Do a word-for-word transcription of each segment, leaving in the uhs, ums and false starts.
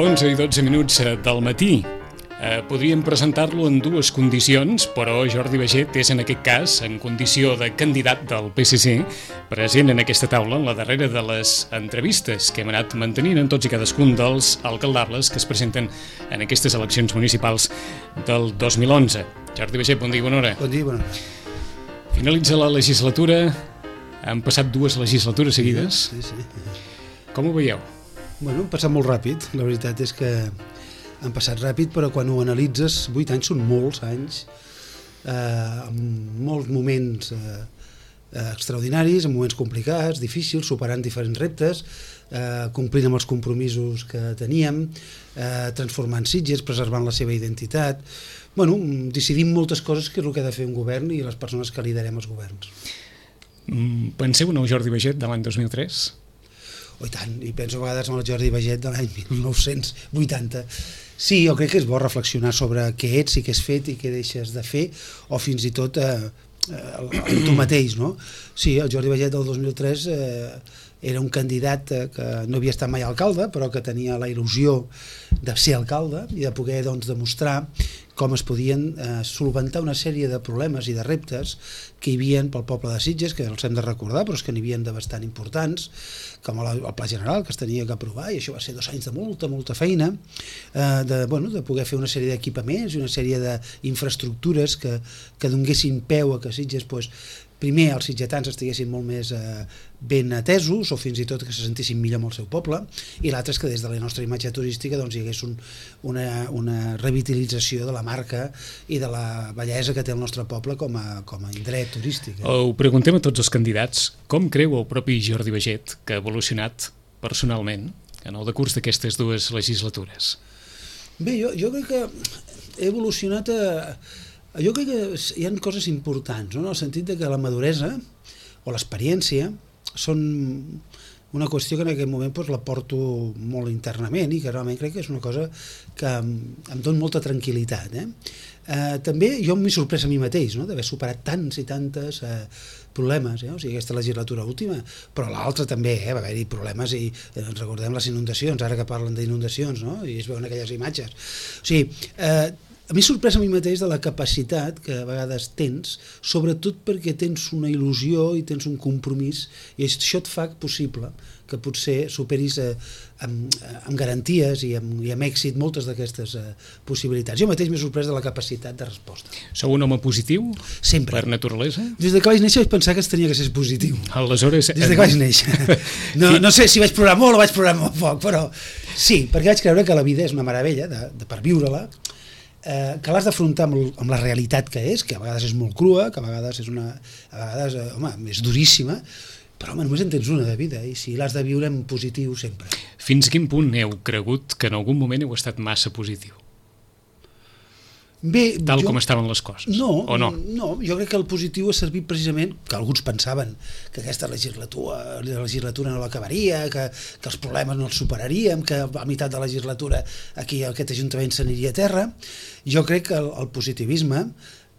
onze i dotze minuts del matí. Eh, podríem presentar-lo en dues condicions, però Jordi Baiget és en aquest cas en condició de candidat del P S C, present en aquesta taula en la darrera de les entrevistes que hem anat mantenint en tots i cadascun dels alcaldables que es presenten en aquestes eleccions municipals del dos mil onze. Jordi Baiget, bon dia i bona hora. Bon dia i bona hora. Finalitza la legislatura, han passat dues legislatures seguides. Sí, sí. Com ho veieu? Bueno, han passat molt ràpid, la veritat és que han passat ràpid, però quan ho analitzes, vuit anys són molts anys, eh, amb molts moments eh, extraordinaris, amb moments complicats, difícils, superant diferents reptes, eh, complint amb els compromisos que teníem, eh, transformant Sitges, preservant la seva identitat. Bueno, decidim moltes coses que és el que ha de fer un govern i les persones que liderem els governs. Penseu en el Jordi Baiget de l'any dos mil tres? Oh, i tant, i penso a vegades en el Jordi Baiget de l'any mil nou-cents vuitanta. Sí, jo crec que és bo reflexionar sobre què ets i què has fet i què deixes de fer, o fins i tot eh, eh, tu mateix, no? Sí, el Jordi Baiget del dos mil tres eh, era un candidat eh, que no havia estat mai alcalde, però que tenia la il·lusió de ser alcalde i de poder doncs, demostrar com es podien eh, solventar una sèrie de problemes i de reptes que hi havia pel poble de Sitges, que els hem de recordar, però és que n'hi havia de bastant importants, com el, el Pla General, que es tenia que aprovar, i això va ser dos anys de molta, molta feina, eh, de, bueno, de poder fer una sèrie d'equipaments i una sèrie d'infraestructures que, que donguessin peu a que Sitges, pues, primer els sitgetans estiguessin molt més eh, ben atesos, o fins i tot que se sentissin millor amb el seu poble, i l'altre és que des de la nostra imatge turística doncs, hi hagués un, una, una revitalització de la marca i de la bellesa que té el nostre poble com a, com a indret turístic. Eh? Ho preguntem a tots els candidats, com creu el propi Jordi Baiget que ha evolucionat personalment en el decurs d'aquestes dues legislatures? Bé, jo, jo crec que he evolucionat a... Jo crec que hi ha coses importants, no? En el sentit de que la maduresa o l'experiència són una qüestió que en aquest moment doncs, la porto molt internament i que realment crec que és una cosa que em, em dona molta tranquil·litat. Eh? Eh, també jo m'he sorprès a mi mateix, no? D'haver superat tants i tantes eh, problemes, eh? O sigui, aquesta legislatura última, però l'altra també, eh? Va haver-hi problemes i eh, ens recordem les inundacions, ara que parlen d'inundacions, no? I es veuen aquelles imatges. O sigui, eh, a mi sorprès a mi mateix de la capacitat que a vegades tens, sobretot perquè tens una il·lusió i tens un compromís, i això et fa possible que potser superis eh, amb, amb garanties i amb, i amb èxit moltes d'aquestes eh, possibilitats. Jo mateix m'he sorprès de la capacitat de resposta. Sou un home positiu? Sempre. Per naturalesa? Des de que vaig néixer vaig pensar que es tenia que ser positiu. Aleshores... Des de que vaig néixer. No, no sé si vaig plorar molt o vaig plorar molt poc, però sí, perquè vaig creure que la vida és una meravella de, de per viure-la, Eh, que l'has d'afrontar amb, amb la realitat que és, que a vegades és molt crua, que a vegades és una, a vegades, eh, home, és duríssima, però home, només en tens una de vida, i si l'has de viure en positiu sempre. Fins a quin punt heu cregut que en algun moment heu estat massa positiu? Bé, Tal jo, com estaven les coses, no, o no? No, jo crec que el positiu ha servit precisament, que alguns pensaven que aquesta legislatura, la legislatura no l'acabaria, que, que els problemes no els superaríem, que a meitat de la legislatura aquí aquest Ajuntament s'aniria a terra. Jo crec que el, el positivisme,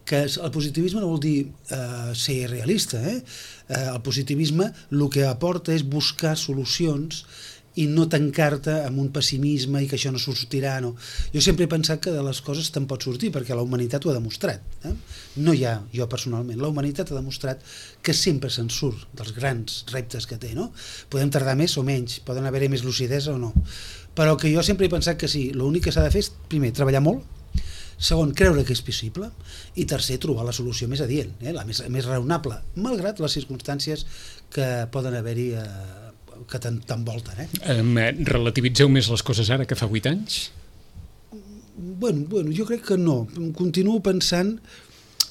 que el positivisme no vol dir eh, ser realista, eh? Eh, el positivisme el que aporta és buscar solucions i no tancar-te amb un pessimisme i que això no sortirà. No. Jo sempre he pensat que de les coses te'n pot sortir, perquè la humanitat ho ha demostrat. Eh? No hi ha, jo personalment, la humanitat ha demostrat que sempre se'n surt dels grans reptes que té. No? Podem tardar més o menys, poden haver-hi més lucidesa o no. Però que jo sempre he pensat que sí, l'únic que s'ha de fer és, primer, treballar molt, segon, creure que és possible, i tercer, trobar la solució més adient, eh? la més, més raonable, malgrat les circumstàncies que poden haver-hi eh, que t'envolten. Eh? Um, relativitzeu més les coses ara que fa vuit anys? Bueno, bueno, jo crec que no. Continuo pensant...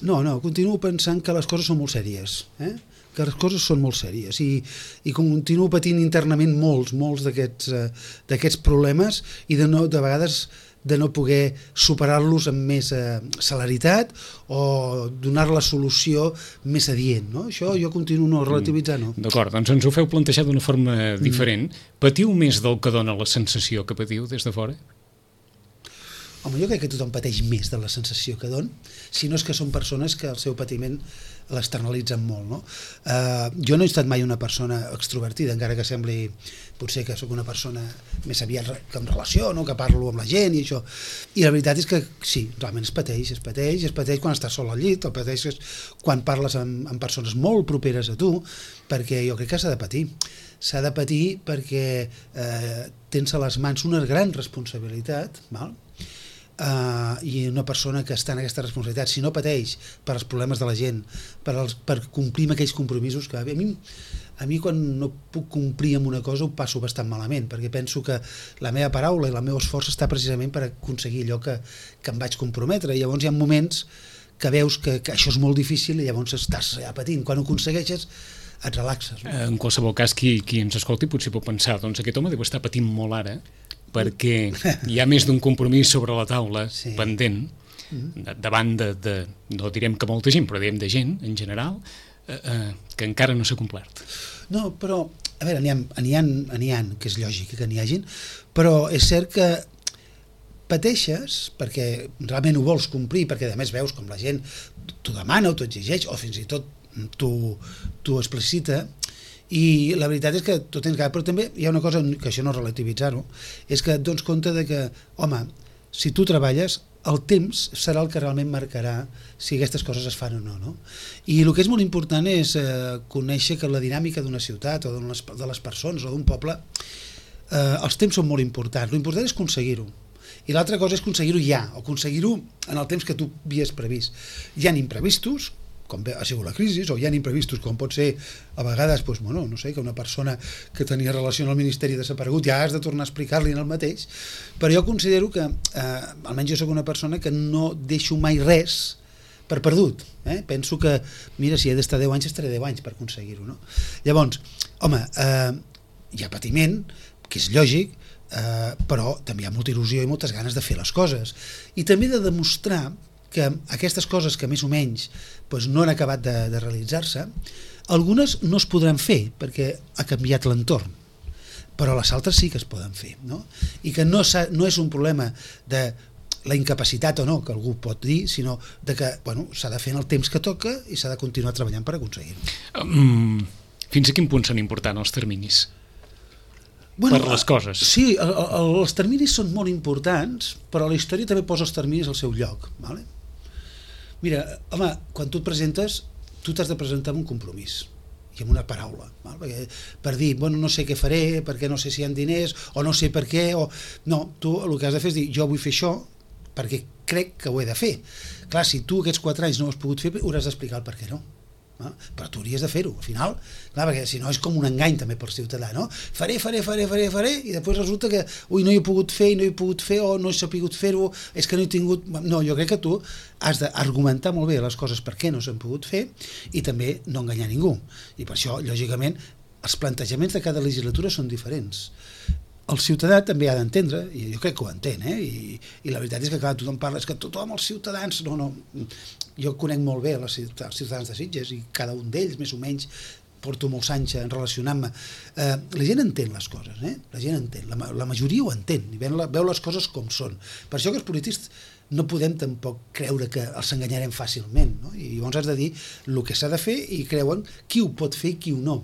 No, no, continuo pensant que les coses són molt sèries. Eh? Que les coses són molt sèries. I, i continuo patint internament molts, molts d'aquests eh, d'aquests problemes i de, no, de vegades de no poder superar-los amb més eh, celeritat o donar la solució més adient. No? Això jo continuo no relativitzant. No. D'acord, doncs ens ho feu plantejar d'una forma diferent. Mm. Patiu més del que dona la sensació que patiu des de fora? Home, jo crec que tothom pateix més de la sensació que don, si no és que són persones que el seu patiment l'externalitzen molt, no? Uh, jo no he estat mai una persona extrovertida, encara que sembli potser que sóc una persona més aviat que em relaciono, que parlo amb la gent i això, i la veritat és que sí, realment es pateix, es pateix, es pateix quan estàs sol al llit, el pateix quan parles amb, amb persones molt properes a tu, perquè jo crec que s'ha de patir, s'ha de patir perquè eh, tens a les mans una gran responsabilitat, val? Uh, i una persona que està en aquesta responsabilitat, si no pateix per els problemes de la gent, per, els, per complir amb aquells compromisos que a mi, a mi quan no puc complir amb una cosa ho passo bastant malament, perquè penso que la meva paraula i el meu esforç està precisament per aconseguir allò que, que em vaig comprometre, i llavors hi ha moments que veus que, que això és molt difícil i llavors estàs ja patint, quan ho aconsegueixes et relaxes, no? En qualsevol cas, qui, qui ens escolti potser pot pensar, doncs aquest home deu estar patint molt ara, perquè hi ha més d'un compromís sobre la taula, sí, pendent, de, davant de, de, no direm que molta gent, però direm de gent, en general, eh, eh, que encara no s'ha complert. No, però, a veure, n'hi ha, n'hi ha, n'hi ha, que és lògic que n'hi hagin, però és cert que pateixes perquè realment ho vols complir, perquè a més veus com la gent t'ho demana o t'ho exigeix, o fins i tot t'ho explicita, i la veritat és que tu tens que... Però també hi ha una cosa, que això no relativitzar-ho, és que et dones compte de que, home, si tu treballes, el temps serà el que realment marcarà si aquestes coses es fan o no, no? I el que és molt important és eh, conèixer que la dinàmica d'una ciutat o de les, de les persones o d'un poble, eh, els temps són molt importants. L'important és aconseguir-ho. I l'altra cosa és aconseguir-ho ja, o aconseguir-ho en el temps que tu havies previst. Hi ha imprevistos, com ha sigut la crisi, o hi ha imprevistos, com pot ser a vegades, doncs, bueno, no sé, que una persona que tenia relació amb el Ministeri desaparegut ja has de tornar a explicar-li en el mateix, però jo considero que, eh, almenys jo soc una persona que no deixo mai res per perdut, eh? Penso que, mira, si he d'estar deu anys, estaré deu anys per aconseguir-ho, no? Llavors, home, eh, hi ha patiment, que és lògic, eh, però també hi ha molta il·lusió i moltes ganes de fer les coses, i també de demostrar que aquestes coses que més o menys doncs, no han acabat de, de realitzar-se, algunes no es podran fer perquè ha canviat l'entorn, però les altres sí que es poden fer, no? I que no, no és un problema de la incapacitat o no, que algú pot dir, sinó de que bueno, s'ha de fer en el temps que toca i s'ha de continuar treballant per aconseguir-ho. Um, fins a quin punt són importants els terminis? Bueno, per les coses. Sí, el, el, els terminis són molt importants, però la història també posa els terminis al seu lloc, ¿vale? Mira, home, quan tu et presentes, tu t'has de presentar amb un compromís i amb una paraula, val? Perquè, per dir, bueno, no sé què faré, perquè no sé si hi ha diners, o no sé per què, o... No, tu el que has de fer és dir, jo vull fer això perquè crec que ho he de fer. Clar, si tu aquests quatre anys no ho has pogut fer, hauràs d'explicar el per què no. No? Però tu hauries de fer-ho, al final, clar, perquè si no és com un engany també pel ciutadà, no? Faré, faré, faré, faré, faré, i després resulta que ui, no hi he pogut fer, i no he pogut fer, o no he sabut fer-ho, és que no he tingut... No, jo crec que tu has d'argumentar molt bé les coses per què no s'han pogut fer i també no enganyar ningú. I per això, lògicament, els plantejaments de cada legislatura són diferents. El ciutadà també ha d'entendre, i jo crec que ho entén, eh? I, i la veritat és que clar, tothom parla, és que tothom, els ciutadans, no, no, jo conec molt bé els ciutadans de Sitges i cada un d'ells, més o menys, porto molts anys en relacionant-me. Eh, la gent entén les coses, eh? La gent entén, la, la majoria ho entén, i veu, veu les coses com són. Per això que els polítics no podem tampoc creure que els enganyarem fàcilment, no? I llavors has de dir el que s'ha de fer i creuen qui ho pot fer i qui ho no.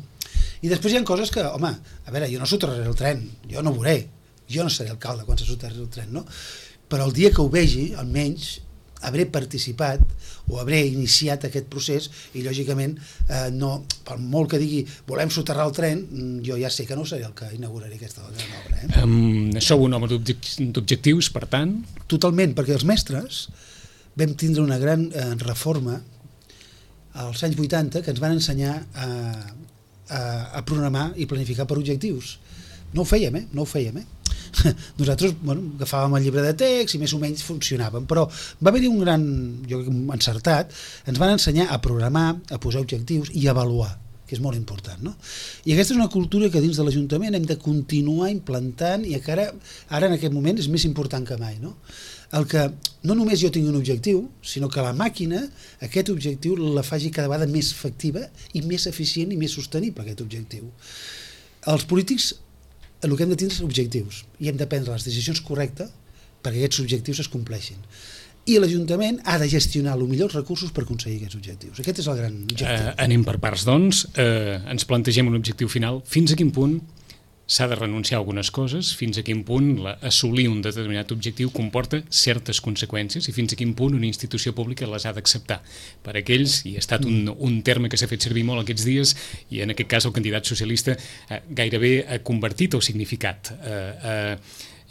I després hi ha coses que, home, a veure, jo no soterraré el tren, jo no ho veuré, jo no seré alcalde quan se soterraré el tren, no? Però el dia que ho vegi, almenys, hauré participat o hauré iniciat aquest procés i, lògicament, eh, no, per molt que digui volem soterrar el tren, jo ja sé que no seré el que inauguraré aquesta gran obra. Eh? Um, sou un home d'objectius, per tant? Totalment, perquè els mestres vam tindre una gran eh, reforma als anys vuitanta que ens van ensenyar a A, a programar i planificar per objectius. No ho fèiem, eh? No ho fèiem, eh? Nosaltres, bueno, agafàvem el llibre de text i més o menys funcionàvem, però va haver-hi un gran, jo crec, encertat, ens van ensenyar a programar, a posar objectius i a avaluar, que és molt important, no? I aquesta és una cultura que dins de l'Ajuntament hem de continuar implantant i que ara, ara en aquest moment és més important que mai, no? El que no només jo tingui un objectiu, sinó que la màquina aquest objectiu la faci cada vegada més efectiva i més eficient i més sostenible, aquest objectiu. Els polítics el que hem de tindre és objectius i hem de prendre les decisions correctes perquè aquests objectius es compleixin. i l'Ajuntament ha de gestionar el millor els recursos per aconseguir aquests objectius. Aquest és el gran objectiu. Eh, anem per parts, doncs. Eh, ens plantegem un objectiu final. Fins a quin punt s'ha de renunciar a algunes coses, fins a quin punt la, assolir un determinat objectiu comporta certes conseqüències i fins a quin punt una institució pública les ha d'acceptar. Per aquells, i ha estat un, un terme que s'ha fet servir molt aquests dies, i en aquest cas el candidat socialista eh, gairebé ha convertit o significat eh, eh,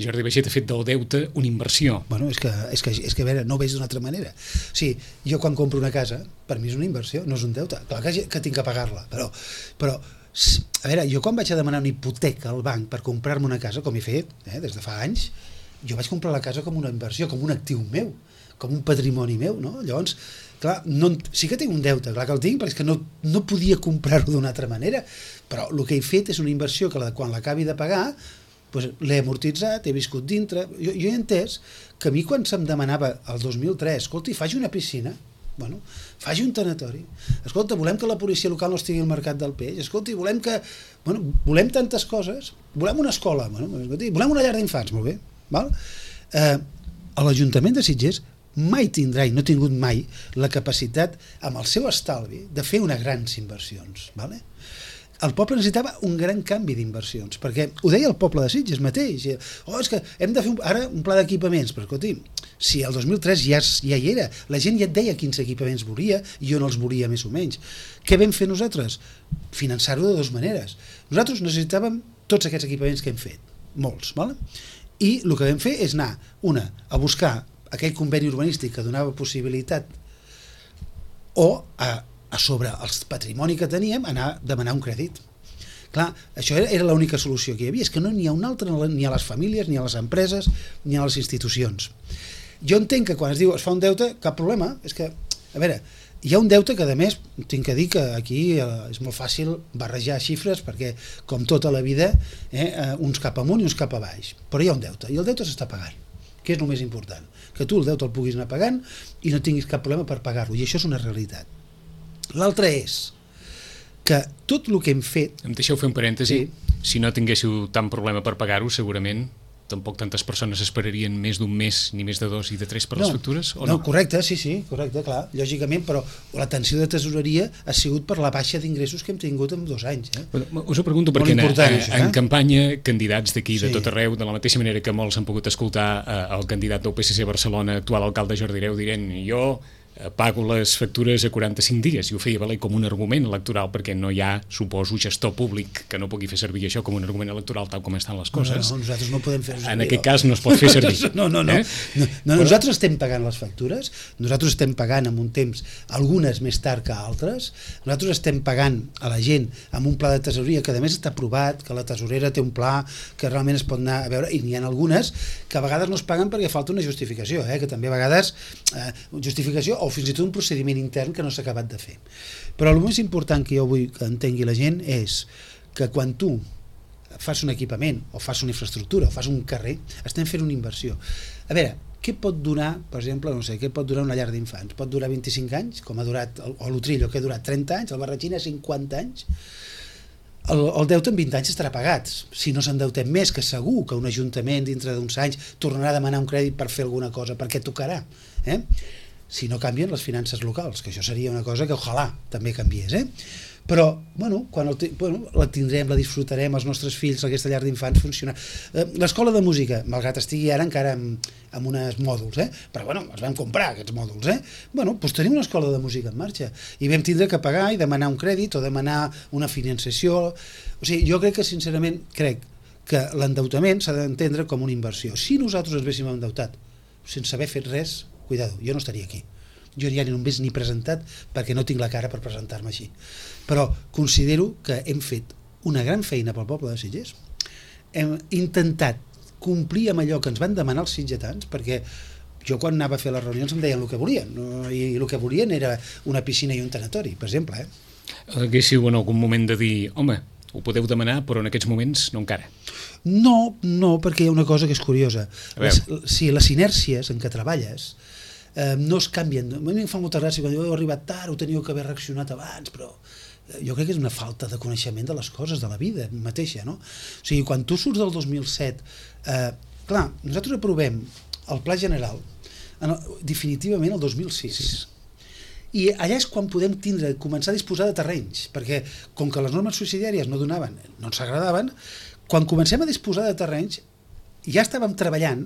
Jordi Baiget ha fet del deute una inversió. Bueno, és que, és que, és que a veure, no ho veig d'una altra manera. O sigui, jo quan compro una casa, per mi és una inversió, no és un deute. Clar que, que tinc que pagar-la, però, però, a veure, jo quan vaig a demanar una hipoteca al banc per comprar-me una casa, com he fet, eh, des de fa anys, jo vaig comprar la casa com una inversió, com un actiu meu, com un patrimoni meu, no? Llavors, clar, no, sí que tinc un deute, clar que el tinc, perquè és que no, no podia comprar-ho d'una altra manera, però el que he fet és una inversió que la, quan l'acabi de pagar, pues, l'he amortitzat, he viscut dintre. Jo, jo he entès que a mi quan se'm demanava el dos mil tres, escolti, faci una piscina, bueno, faci un tanatori, escolta, volem que la policia local no estigui al mercat del peix, escolti, volem que, bueno, volem tantes coses, volem una escola, bueno, escolti, volem una llar d'infants, molt bé, val? Eh, l'Ajuntament de Sitges mai tindrà, i no ha tingut mai, la capacitat, amb el seu estalvi, de fer unes grans inversions, vale? El poble necessitava un gran canvi d'inversions, perquè ho deia el poble de Sitges mateix, oh, és que hem de fer un, ara un pla d'equipaments, però escolti, si el dos mil tres ja, ja hi era, la gent ja et deia quins equipaments volia i on els volia més o menys. Què vam fer nosaltres? Finançar-ho de dues maneres. Nosaltres necessitàvem tots aquests equipaments que hem fet, molts, ¿vale? I el que vam fer és anar, una, a buscar aquell conveni urbanístic que donava possibilitat o a a sobre el patrimoni que teníem, anar a demanar un crèdit. Clar, això era, era l'única solució que hi havia, és que no n'hi ha una altra ni a les famílies, ni a les empreses, ni a les institucions. Jo entenc que quan es diu es fa un deute, cap problema, és que, a veure, hi ha un deute que, a més, tinc que dir que aquí eh, és molt fàcil barrejar xifres, perquè, com tota la vida, eh, uns cap amunt i uns cap a baix, però hi ha un deute, i el deute s'està pagant, que és el més important, que tu el deute el puguis anar pagant i no tinguis cap problema per pagar-lo, i això és una realitat. L'altre és que tot el que hem fet... Em deixeu fer un parèntesi? Sí. Si no tinguéssiu tant problema per pagar-ho, segurament tampoc tantes persones esperarien més d'un mes, ni més de dos i de tres per les no, factures, o no? no? Correcte, sí, sí, correcte, clar, lògicament, però la tensió de tesoreria ha sigut per la baixa d'ingressos que hem tingut en dos anys. Eh? Bueno, us ho pregunto perquè en, això, eh? en campanya candidats d'aquí, sí. de tot arreu, de la mateixa manera que molts han pogut escoltar eh, el candidat del P S C a Barcelona, actual alcalde Jordi Hereu, dirent jo pago les factures a quaranta-cinc dies, i ho feia valer com un argument electoral, perquè no hi ha, suposo, gestor públic que no pugui fer servir això com un argument electoral tal com estan les coses. No, no, nosaltres no podem fer-ho servir. En aquest cas no es pot fer servir. No, no, no. Eh? no, no Però... Nosaltres estem pagant les factures, nosaltres estem pagant en un temps, algunes més tard que altres, nosaltres estem pagant a la gent amb un pla de tesoreria que a més està aprovat, que la tesorera té un pla que realment es pot anar a veure, i n'hi ha algunes que a vegades no es paguen perquè falta una justificació, eh? Que també a vegades eh, justificació o fins i tot un procediment intern que no s'ha acabat de fer. Però el més important que jo vull que entengui la gent és que quan tu fas un equipament o fas una infraestructura o fas un carrer, estem fent una inversió. A veure, què pot durar, per exemple, no sé, què pot durar una llar d'infants? Pot durar vint-i-cinc anys, com ha durat, o l'Utrillo, que ha durat trenta anys, el Barratxina cinquanta anys. El, el deute en vint anys estarà pagat, si no s'endeutem més, que segur que un ajuntament dintre d'uns anys tornarà a demanar un crèdit per fer alguna cosa, perquè tocarà, eh? Si no canvien les finances locals, que això seria una cosa que ojalà també canviés, eh? Però, bueno, quan el, bueno, la tindrem, la disfrutarem, els nostres fills, aquesta llar d'infants funciona. Eh, l'escola de música, malgrat estigui ara encara amb, amb uns mòduls, eh? Però, bueno, els vam comprar, aquests mòduls, eh? Bueno, doncs tenim una escola de música en marxa i vam tindre que pagar i demanar un crèdit o demanar una financiació. O sigui, jo crec que, sincerament, crec que l'endeutament s'ha d'entendre com una inversió. Si nosaltres ens haguéssim endeutat sense haver fet res, cuidado, jo no estaria aquí. Jo ja ni només ni presentat perquè no tinc la cara per presentar-me així. Però considero que hem fet una gran feina pel poble de Sitges. Hem intentat complir amb allò que ens van demanar els sitgetans, perquè jo quan anava a fer les reunions em deien el que volien, no? I el que volien era una piscina i un tanatori, per exemple. Eh? Haguéssiu en algun moment de dir, home, ho podeu demanar, però en aquests moments no encara. No, no, perquè hi ha una cosa que és curiosa. Les, si les inèrcies en què treballes eh, no es canvien. A mi em fa molta gràcia quan diu, heu arribat tard, ho teníeu que haver reaccionat abans, però jo crec que és una falta de coneixement de les coses, de la vida mateixa, no? O sigui, quan tu surts del dos mil set, eh, clar, nosaltres aprovem el Pla General en el, definitivament el dos mil sis. Sí. I allà és quan podem tindre, començar a disposar de terrenys, perquè com que les normes subsidiàries no donaven, no ens agradaven, quan comencem a disposar de terrenys ja estàvem treballant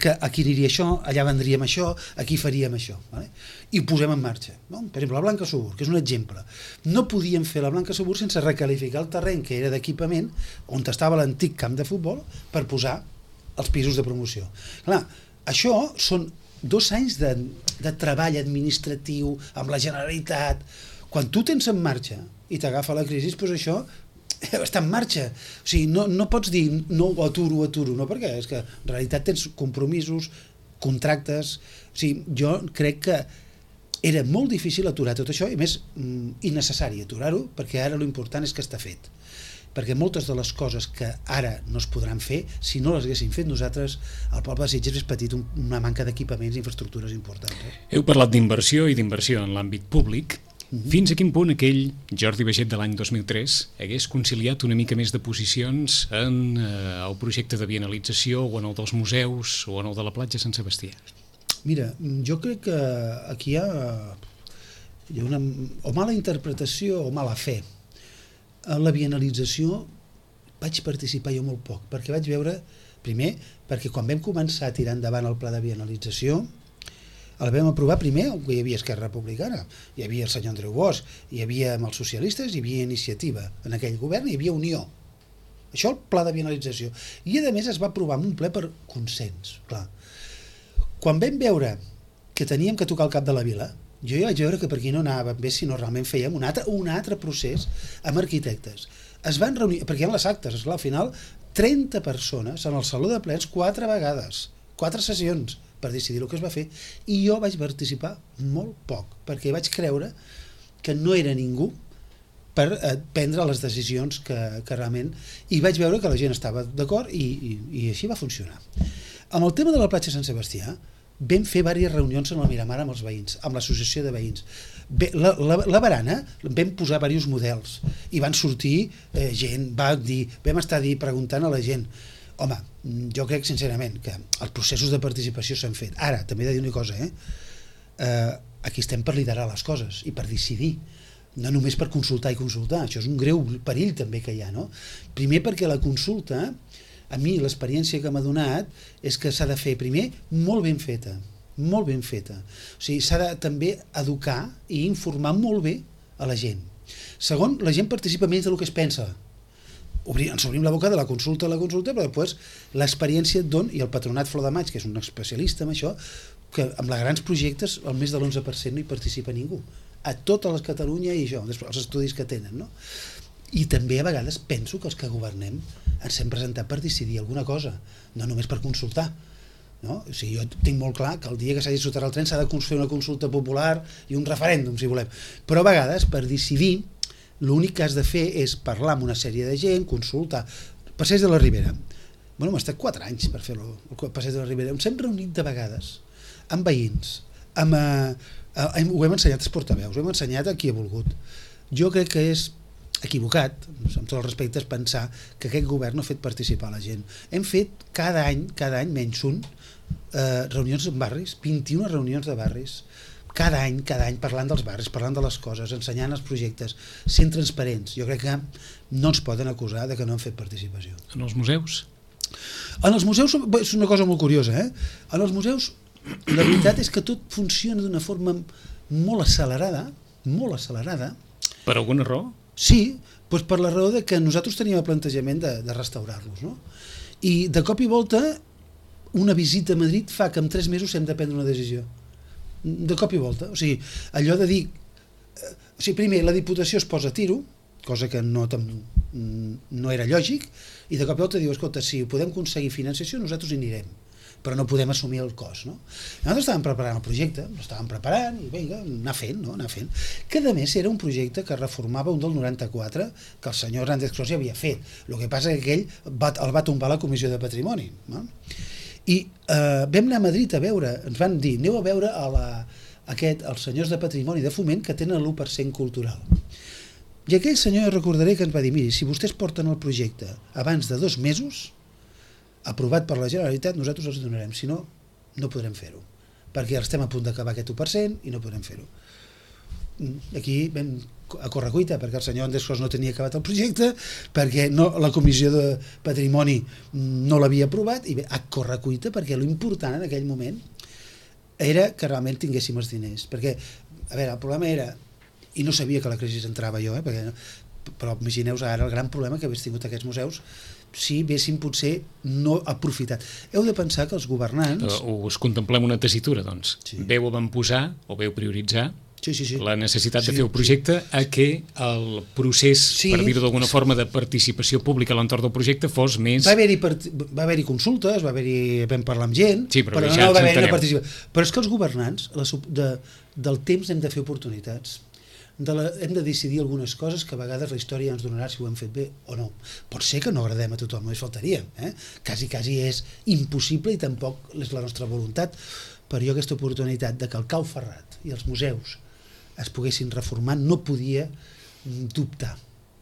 que aquí aniria això, allà vendríem això, aquí faríem això, vale? I ho posem en marxa, no? Per exemple, la Blanca Subur, que és un exemple. No podíem fer la Blanca Subur sense recalificar el terreny que era d'equipament on estava l'antic camp de futbol per posar els pisos de promoció. Clar, això són dos anys de, de treball administratiu amb la Generalitat. Quan tu tens en marxa i t'agafa la crisi, doncs això està en marxa. O sigui, no, no pots dir no, ho aturo, ho aturo, no, perquè és que en realitat tens compromisos, contractes. O sigui, jo crec que era molt difícil aturar tot això i més innecessari aturar-ho, perquè ara l'important és que està fet. Perquè moltes de les coses que ara no es podran fer, si no les haguéssim fet nosaltres, el poble de Sitges és patit una manca d'equipaments i infraestructures importants. Eh? Heu parlat d'inversió i d'inversió en l'àmbit públic. Mm-hmm. Fins a quin punt aquell Jordi Baiget de l'any dos mil tres hagués conciliat una mica més de posicions en eh, el projecte de bienalització o en el dels museus o en el de la platja Sant Sebastià? Mira, jo crec que aquí hi ha, hi ha una o mala interpretació o mala fe. En la bienalització vaig participar jo molt poc, perquè vaig veure, primer, perquè quan vam començar a tirar endavant el pla de bienalització, el vam aprovar primer, hi havia Esquerra Republicana, hi havia el senyor Andreu Bosch, hi havia amb els socialistes, hi havia Iniciativa, en aquell govern hi havia Unió. Això el pla de bienalització. I a més es va aprovar en un ple per consens, clar. Quan vam veure que teníem que tocar el cap de la vila, jo ja vaig veure que per aquí no anava bé si no realment fèiem un altre, un altre procés amb arquitectes. Es van reunir, perquè hi ha les actes, esclar, al final, trenta persones en el saló de plens quatre vegades, quatre sessions per decidir el que es va fer, i jo vaig participar molt poc, perquè vaig creure que no era ningú per eh, prendre les decisions que, que realment... I vaig veure que la gent estava d'acord i, i, i així va funcionar. Amb el tema de la platja Sant Sebastià, vam fer diverses reunions en el Miramar amb els veïns, amb l'associació de veïns. Bé, la, la, la barana vam posar diversos models i van sortir eh, gent, va dir, vam estar dir, preguntant a la gent. Home, jo crec sincerament que els processos de participació s'han fet. Ara, també he de dir una cosa, eh? Eh, aquí estem per liderar les coses i per decidir, no només per consultar i consultar. Això és un greu perill també que hi ha, no? Primer perquè la consulta, a mi l'experiència que m'ha donat és que s'ha de fer primer molt ben feta, molt ben feta. O sigui, s'ha de també educar i informar molt bé a la gent. Segon, la gent participa menys del que es pensa. Obrir, ens obrim la boca de la consulta a la consulta, però després l'experiència et dona, i el Patronat Flor de Maig, que és un especialista en això, que amb els grans projectes el més de l'onze per cent no hi participa ningú. A tota la Catalunya i això, els estudis que tenen, no? I també a vegades penso que els que governem ens hem presentat per decidir alguna cosa, no només per consultar. No? O sigui, jo tinc molt clar que el dia que s'hagi de soterrar el tren s'ha de fer una consulta popular i un referèndum, si volem. Però a vegades, per decidir, l'únic que has de fer és parlar amb una sèrie de gent, consultar. Passeig de la Ribera. Bueno, hem estat quatre anys per fer-lo, el Passeig de la Ribera. Ens hem reunit de vegades amb veïns, amb, eh, ho hem ensenyat als portaveus, ho hem ensenyat a qui ha volgut. Jo crec que és equivocat, amb tots els respectes, pensar que aquest govern no ha fet participar la gent. Hem fet cada any, cada any menys un, eh, reunions en barris, vint-i-una reunions de barris, cada any, cada any parlant dels barris, parlant de les coses, ensenyant els projectes, sent transparents. Jo crec que no ens poden acusar de que no han fet participació. En els museus? En els museus és una cosa molt curiosa, eh? En els museus la veritat és que tot funciona d'una forma molt accelerada, molt accelerada. Per alguna raó? Sí, doncs per la raó de que nosaltres teníem el plantejament de, de restaurar-los, no? I de cop i volta una visita a Madrid fa que en tres mesos hem de prendre una decisió. De cop i volta. O sigui, allò de dir... Eh, o sigui, primer, la Diputació es posa a tiro, cosa que no, no era lògic, i de cop i volta diu, escolta, si podem aconseguir financiació, nosaltres hi anirem, però no podem assumir el cost, no? Nosaltres estàvem preparant el projecte, l'estàvem preparant i vinga, anar fent, no? anar fent. Que a més era un projecte que reformava un del noranta-quatre que el senyor Hernández Cros ja havia fet. El que passa que aquell va, el va tombar la Comissió de Patrimoni, no? I eh, vam anar a Madrid a veure, ens van dir, aneu a veure a la, aquest, els senyors de Patrimoni de Foment que tenen l'u per cent cultural. I aquell senyor, jo recordaré que ens va dir, miri, si vostès porten el projecte abans de dos mesos, aprovat per la Generalitat, nosaltres els donarem, si no, no podrem fer-ho, perquè estem a punt d'acabar aquest u per cent i no podem fer-ho. Aquí vam a correcuita, perquè el senyor Andrés Clos no tenia acabat el projecte, perquè no, la comissió de patrimoni no l'havia aprovat, i bé, a correcuita, perquè l'important en aquell moment era que realment tinguéssim els diners, perquè, a veure, el problema era, i no sabia que la crisi entrava jo, eh, perquè, però imagineu-vos ara el gran problema que hagués tingut aquests museus si haguéssim potser no aprofitat. Heu de pensar que els governants... O us contemplem una tessitura, doncs. Sí. Veu avantposar o veu prioritzar Sí, sí, sí. la necessitat sí, de fer un projecte sí. a que el procés, sí. per dir-ho d'alguna forma, de participació pública a l'entorn del projecte fos més... Va haver-hi va haver-hi consultes, va haver-hi... vam parlar amb gent, sí, però, però no va haver-hi una participació. Però és que els governants, la, de, del temps hem de fer oportunitats. De la, hem de decidir algunes coses que a vegades la història ens donarà si ho hem fet bé o no. Pot ser que no agradem a tothom, només faltaria. Eh? Quasi, quasi és impossible i tampoc és la nostra voluntat, però jo aquesta oportunitat de que el Cau Ferrat i els museus es poguessin reformar, no podia dubtar,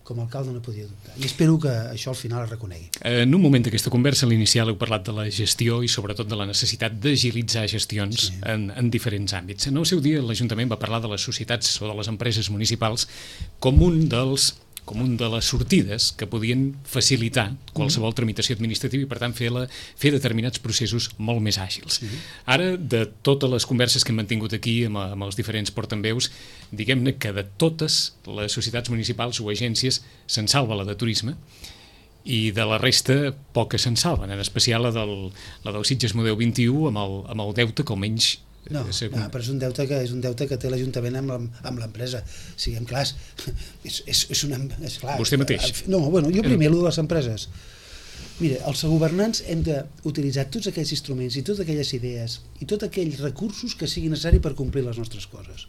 com a alcalde no podia dubtar, i espero que això al final es reconegui. En un moment d'aquesta conversa, a l'inicial heu parlat de la gestió i sobretot de la necessitat d'agilitzar gestions sí. en, en diferents àmbits. En el seu dia l'Ajuntament va parlar de les societats o de les empreses municipals com un dels com un de les sortides que podien facilitar qualsevol tramitació administrativa i, per tant, fer, la, fer determinats processos molt més àgils. Sí. Ara, de totes les converses que hem mantingut aquí amb, amb els diferents portaveus, diguem-ne que de totes les societats municipals o agències se'n salva la de turisme i de la resta poques se'n salven, en especial la del, la del Sitges Model vint-i-u amb el, amb el deute que almenys... No, no, però és un deute que és un deute que té l'Ajuntament amb l'empresa. Siguem clars, és, és, és, una, és clar. Vostè mateix? No, bueno, jo primer, allò de les empreses. Mira, els governants hem d'utilitzar tots aquells instruments i totes aquelles idees i tots aquells recursos que siguin necessaris per complir les nostres coses.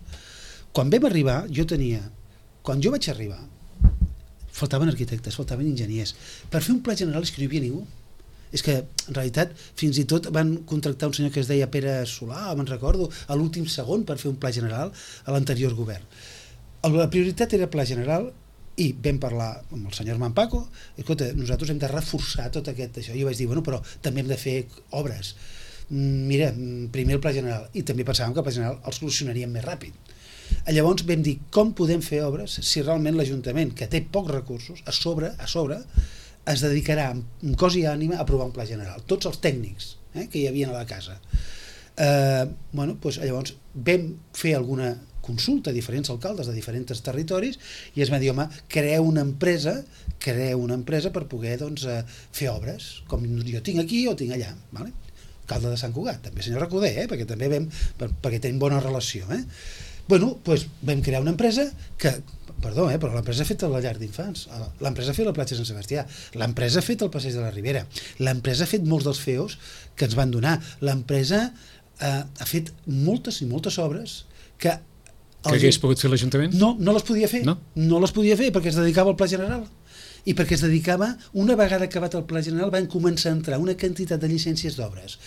Quan vam arribar, jo tenia... Quan jo vaig arribar, faltaven arquitectes, faltaven enginyers. Per fer un pla general és que no hi havia ningú. És que, en realitat, fins i tot van contractar un senyor que es deia Pere Solà, me'n recordo, a l'últim segon per fer un pla general a l'anterior govern. La prioritat era pla general i vam parlar amb el senyor Armand Paco, escolta, nosaltres hem de reforçar tot aquest això. Jo vaig dir, bueno, però també hem de fer obres. Mira, primer el pla general, i també pensàvem que el pla general el solucionaríem més ràpid. Llavors vam dir, com podem fer obres si realment l'Ajuntament, que té pocs recursos, a sobre, a sobre, es dedicarà amb cos i ànima a aprovar un pla general, tots els tècnics eh, que hi havia a la casa. Eh, bueno, doncs llavors vam fer alguna consulta a diferents alcaldes de diferents territoris i es va dir, home, creeu una empresa creeu una empresa per poder doncs, eh, fer obres, com jo tinc aquí o tinc allà, vale? Alcalde de Sant Cugat, també senyor Recoder, eh, perquè també vam, per, perquè tenim bona relació. Eh? Bueno, doncs vam crear una empresa que Perdó, eh, però l'empresa ha fet la llar d'infants, l'empresa ha fet la platja Sant Sebastià, l'empresa ha fet el passeig de la Ribera, l'empresa ha fet molts dels F E Os que ens van donar, l'empresa eh, ha fet moltes i moltes obres que... Que hagués pogut fer l'Ajuntament? No, no les podia fer, no? no les podia fer perquè es dedicava al Pla General. I perquè es dedicava, una vegada acabat el Pla General, van començar a entrar una quantitat de llicències d'obres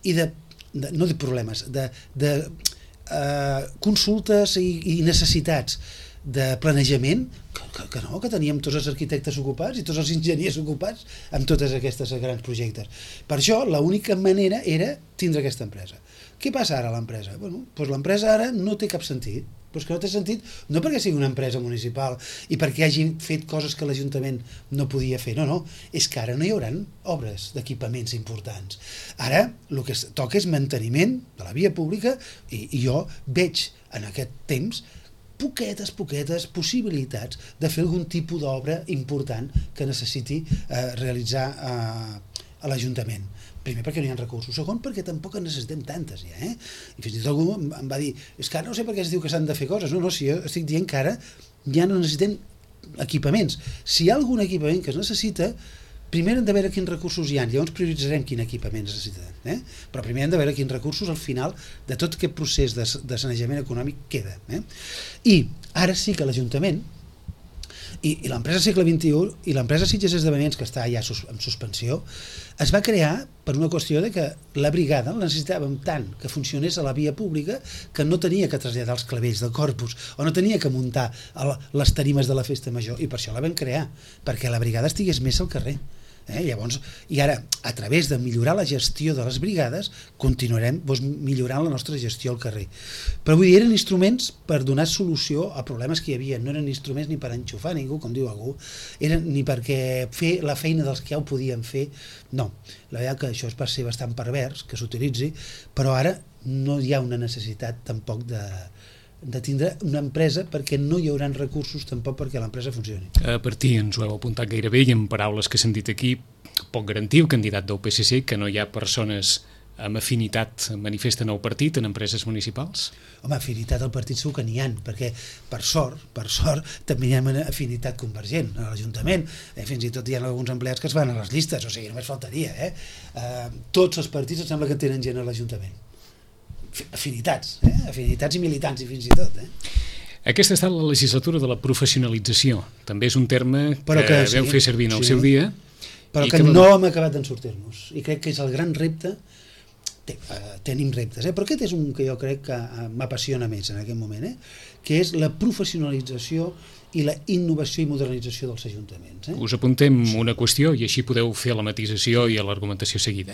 i de, de, no de problemes, de, de eh, consultes i, i necessitats de planejament, que, que, que no, que teníem tots els arquitectes ocupats i tots els enginyers ocupats amb totes aquestes grans projectes. Per això, l'única manera era tindre aquesta empresa. Què passa ara a l'empresa? Bueno, doncs l'empresa ara no té cap sentit, però és que no té sentit no perquè sigui una empresa municipal i perquè hagi fet coses que l'Ajuntament no podia fer, no, no, és que ara no hi haurà obres d'equipaments importants. Ara el que toca és manteniment de la via pública i, i jo veig en aquest temps poquetes, poquetes possibilitats de fer algun tipus d'obra important que necessiti eh, realitzar eh, a l'Ajuntament. Primer perquè no hi ha recursos, segon perquè tampoc en necessitem tantes ja, eh? I fins i tot algú em va dir, és que ara no sé per què es diu que s'han de fer coses, no, no, si jo estic dient que ara ja no necessitem equipaments. Si hi ha algun equipament que es necessita, primer hem de veure quins recursos hi ha, llavors prioritzarem quin equipament necessitem, eh? Però primer hem de veure quins recursos al final de tot aquest procés de, de sanejament econòmic queda. Eh? I ara sí que l'Ajuntament i, i l'empresa Segle vint-i-u i l'empresa Sitges Esdeveniments, que està ja sus, en suspensió, es va crear per una qüestió de que la brigada la necessitàvem tant que funcionés a la via pública que no tenia que traslladar els clavells del corpus o no tenia que muntar les tarimes de la festa major, i per això la vam crear, perquè la brigada estigués més al carrer. Eh? Llavors, i ara, a través de millorar la gestió de les brigades, continuarem doncs, millorant la nostra gestió al carrer. Però vull dir, eren instruments per donar solució a problemes que hi havia, no eren instruments ni per enxufar ningú, com diu algú, eren ni perquè fer la feina dels que ja ho podien fer, no. La veritat que això va ser bastant pervers, que s'utilitzi, però ara no hi ha una necessitat tampoc de, de tindre una empresa perquè no hi haurà recursos tampoc perquè l'empresa funcioni. A partir, ens ho heu apuntat gairebé, i en paraules que s'han dit aquí, pot garantir el candidat del P S C que no hi ha persones amb afinitat manifesten al partit en empreses municipals? Home, afinitat al partit segur que n'hi ha, perquè per sort, per sort, també hi ha una afinitat convergent a l'Ajuntament, eh, fins i tot hi ha alguns empleats que es van a les llistes, o sigui, només faltaria, eh? Eh, tots els partits em sembla que tenen gent a l'Ajuntament. Afinitats, eh? Afinitats i militants, i fins i tot, eh? Aquesta ha estat la legislatura de la professionalització, també és un terme que, que sí, veu fer servir en el sí. seu dia, però que no hem acabat d'en sortir-nos, i crec que és el gran repte. Tenim reptes, eh? Però aquest és un que jo crec que m'apassiona més en aquest moment, eh? Que és la professionalització i la innovació i modernització dels ajuntaments. Eh? Us apuntem una qüestió i així podeu fer la matisació i l'argumentació seguida.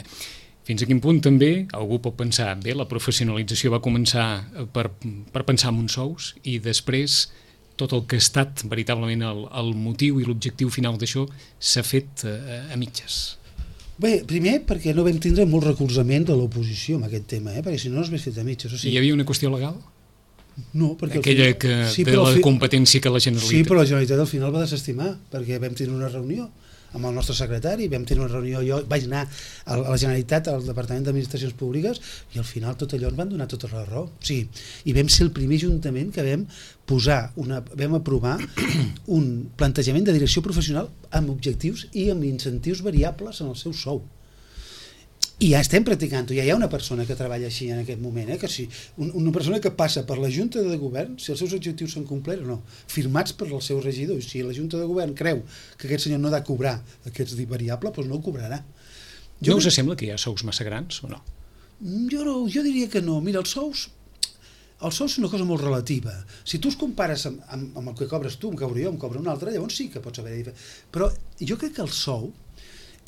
Fins a quin punt també algú pot pensar, bé, la professionalització va començar per, per pensar en uns sous i després tot el que ha estat veritablement el, el motiu i l'objectiu final d'això s'ha fet a, a mitges? Bé, primer perquè no vam tindre molt recolzament de l'oposició en aquest tema, eh? Perquè si no no s'hagués fet a mitges. O sigui... Hi havia una qüestió legal? No, perquè... Aquella que sí, té la fi... competència que la Generalitat... Sí, però la Generalitat al final va desestimar, perquè vam tenir una reunió amb el nostre secretari, vam tenir una reunió, jo vaig anar a la Generalitat, al Departament d'Administracions Públiques, i al final tot allò ens van donar tota la raó. Sí, i vam ser el primer ajuntament que vam posar una, vam aprovar un plantejament de direcció professional amb objectius i amb incentius variables en el seu sou. I ja estem practicant-ho, ja hi ha una persona que treballa així en aquest moment, eh? Que si una persona que passa per la Junta de Govern, si els seus objectius s'han complert o no, firmats per el seu regidor, i si la Junta de Govern creu que aquest senyor no ha de cobrar aquest variable, doncs no ho cobrarà. Jo no us sembla que hi ha sous massa grans o no? Jo, no, jo diria que no. Mira, els sous, els sous és una cosa molt relativa. Si tu els compares amb, amb, amb el que cobres tu, em cobro jo, em cobro un altre, llavors sí que pots haver-hi. Però jo crec que el sou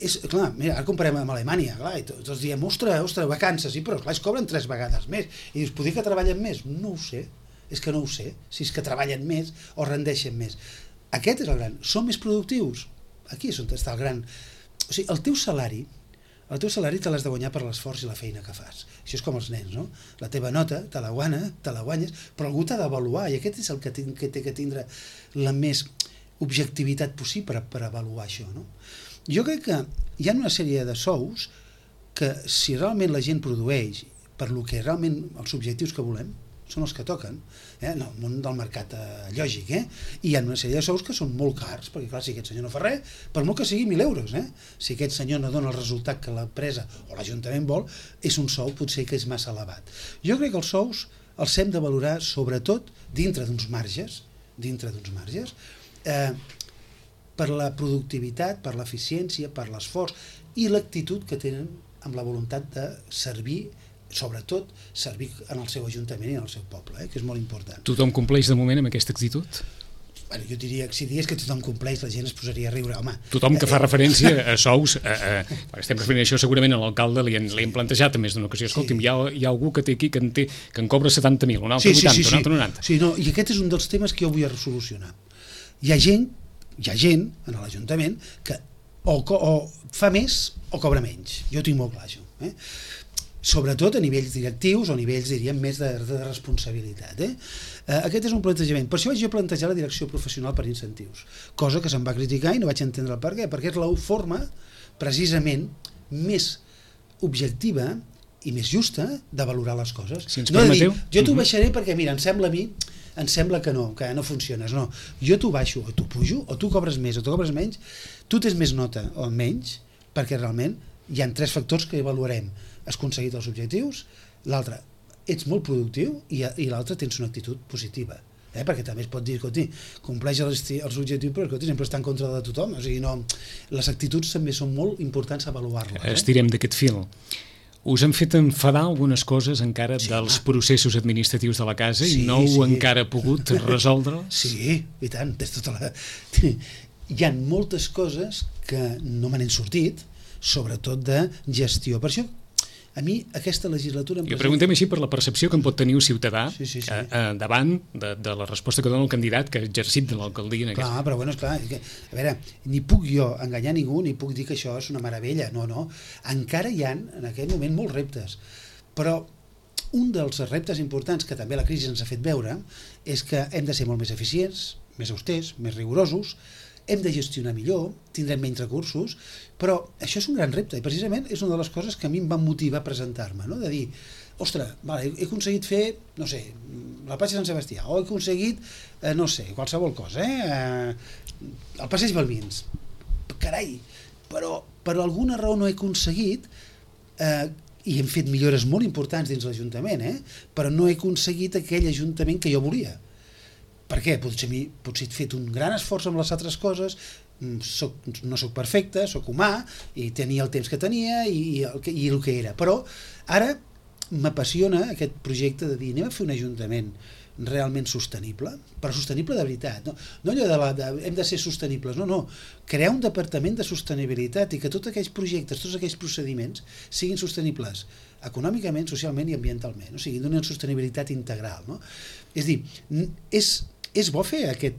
és, clar, mira, ara comparem amb Alemanya, clar, i tots diem, ostres, ostres, vacances, sí, però clar, es cobren tres vegades més, i dius, podria que treballen més? No ho sé, és que no ho sé, si és que treballen més o rendeixen més. Aquest és el gran, són més productius? Aquí és on està el gran, o sigui, el teu salari, el teu salari te l'has de guanyar per l'esforç i la feina que fas, això és com els nens, no? La teva nota te la guanya, te la guanyes, però algú t'ha d'avaluar, i aquest és el que, que té que tindre la més objectivitat possible per, per avaluar això, no? Jo crec que hi ha una sèrie de sous que si realment la gent produeix per lo que realment els objectius que volem són els que toquen, eh? En el món del mercat eh, lògic, eh? I hi ha una sèrie de sous que són molt cars, perquè clar, si aquest senyor no fa res, per molt que sigui mil euros, eh? Si aquest senyor no dona el resultat que l'empresa o l'Ajuntament vol, és un sou potser que és massa elevat. Jo crec que els sous els hem de valorar sobretot dintre d'uns marges, dintre d'uns marges, eh, per la productivitat, per l'eficiència, per l'esforç i l'actitud que tenen amb la voluntat de servir, sobretot servir en el seu ajuntament i en el seu poble, eh, que és molt important. Tothom compleix de moment amb aquesta actitud? Bueno, jo diria que si digués que tothom compleix, la gent es posaria a riure. Home, tothom que fa referència a sous, a, a, estem referint a això segurament a l'alcalde, li, li hem plantejat a més d'una ocasió, escolti'm, sí. hi, ha, hi ha algú que té aquí que en, té, que en cobra setanta mil, un altre sí, sí, vuitanta, sí, sí. un altre noranta. Sí, no, i aquest és un dels temes que jo vull resolucionar. Hi ha gent hi ha gent en l'Ajuntament que o, o fa més o cobra menys, jo tinc molt clar això, eh? Sobretot a nivells directius o nivells, diríem, més de, de responsabilitat, eh? Eh, aquest és un plantejament, per això vaig jo plantejar la direcció professional per incentius, cosa que se'm va criticar i no vaig entendre el per què, perquè és la forma precisament més objectiva i més justa de valorar les coses. Si ens no permeteu? Dir, jo t'ho baixaré perquè, mira, em sembla a mi em sembla que no, que no funciones, no. Jo t'ho baixo o t'ho pujo, o tu cobres més o tu cobres menys, tu tens més nota o menys, perquè realment hi ha tres factors que avaluarem. Has aconseguit els objectius, l'altre, ets molt productiu, i, i l'altre tens una actitud positiva. Eh? Perquè també es pot dir, escolti, compleix els, els objectius, però escolti, sempre està en contra de tothom. O sigui, no, les actituds també són molt importants avaluar-les. Eh? Estirem d'aquest fil. Us han fet enfadar algunes coses encara sí, dels home. processos administratius de la casa sí, i no heu sí. encara pogut resoldre-les? Sí, i tant, tens tota la... hi ha moltes coses que no me n'han sortit, sobretot de gestió. Per això, a mi, aquesta legislatura... I ho preguntem així per la percepció que en pot tenir un ciutadà sí, sí, sí. Eh, eh, davant de, de la resposta que dona el candidat que ha exercit de l'alcaldia. En clar, aquest... però bueno, esclar, que, a veure, ni puc jo enganyar ningú, ni puc dir que això és una meravella, no, no. Encara hi ha, en aquest moment, molts reptes. Però un dels reptes importants que també la crisi ens ha fet veure és que hem de ser molt més eficients, més austers, més rigorosos, hem de gestionar millor, tindrem menys recursos, però això és un gran repte i precisament és una de les coses que a mi em van motivar a presentar-me, no? De dir, ostres, vale, he aconseguit fer, no sé, la platja de Sant Sebastià, o he aconseguit, eh, no sé, qualsevol cosa, eh? eh el passeig Balbins, carai, però per alguna raó no he aconseguit, eh, i hem fet millores molt importants dins l'Ajuntament, eh? Però no he aconseguit aquell Ajuntament que jo volia. Per què? Potser, mi, potser he fet un gran esforç amb les altres coses, soc, no sóc perfecte, sóc humà, i tenia el temps que tenia i, i, el, que, i el que era. Però ara m'apassiona aquest projecte de dir anem a fer un ajuntament realment sostenible, però sostenible de veritat. No, no allò de, la, de hem de ser sostenibles, no, no. Crear un departament de sostenibilitat i que tots aquells projectes, tots aquells procediments siguin sostenibles econòmicament, socialment i ambientalment, o sigui, d'una sostenibilitat integral. No? És dir, és, és bo fer aquest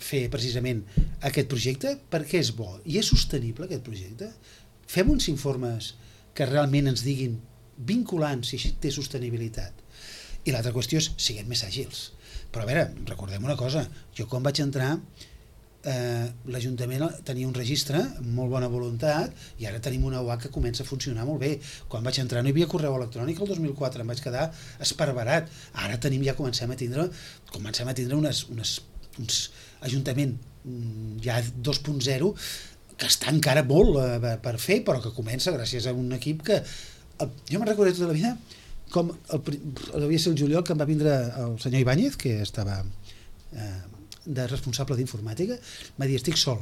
fer precisament aquest projecte perquè és bo i és sostenible aquest projecte. Fem uns informes que realment ens diguin vinculants si així té sostenibilitat. I l'altra qüestió és siguem més àgils. Però a veure, recordem una cosa, jo quan vaig entrar eh, l'Ajuntament tenia un registre amb molt bona voluntat i ara tenim una U A que comença a funcionar molt bé. Quan vaig entrar no hi havia correu electrònic el dos mil quatre, em vaig quedar esparverat. Ara tenim, ja comencem a tindre comencem a tindre unes, unes, uns Ajuntament ja dos punt zero que està encara molt eh, per fer, però que comença gràcies a un equip que el, jo me'n recordo tota la vida com el, devia ser el juliol que em va vindre el senyor Ibáñez, que estava eh, de responsable d'informàtica, va dir estic sol.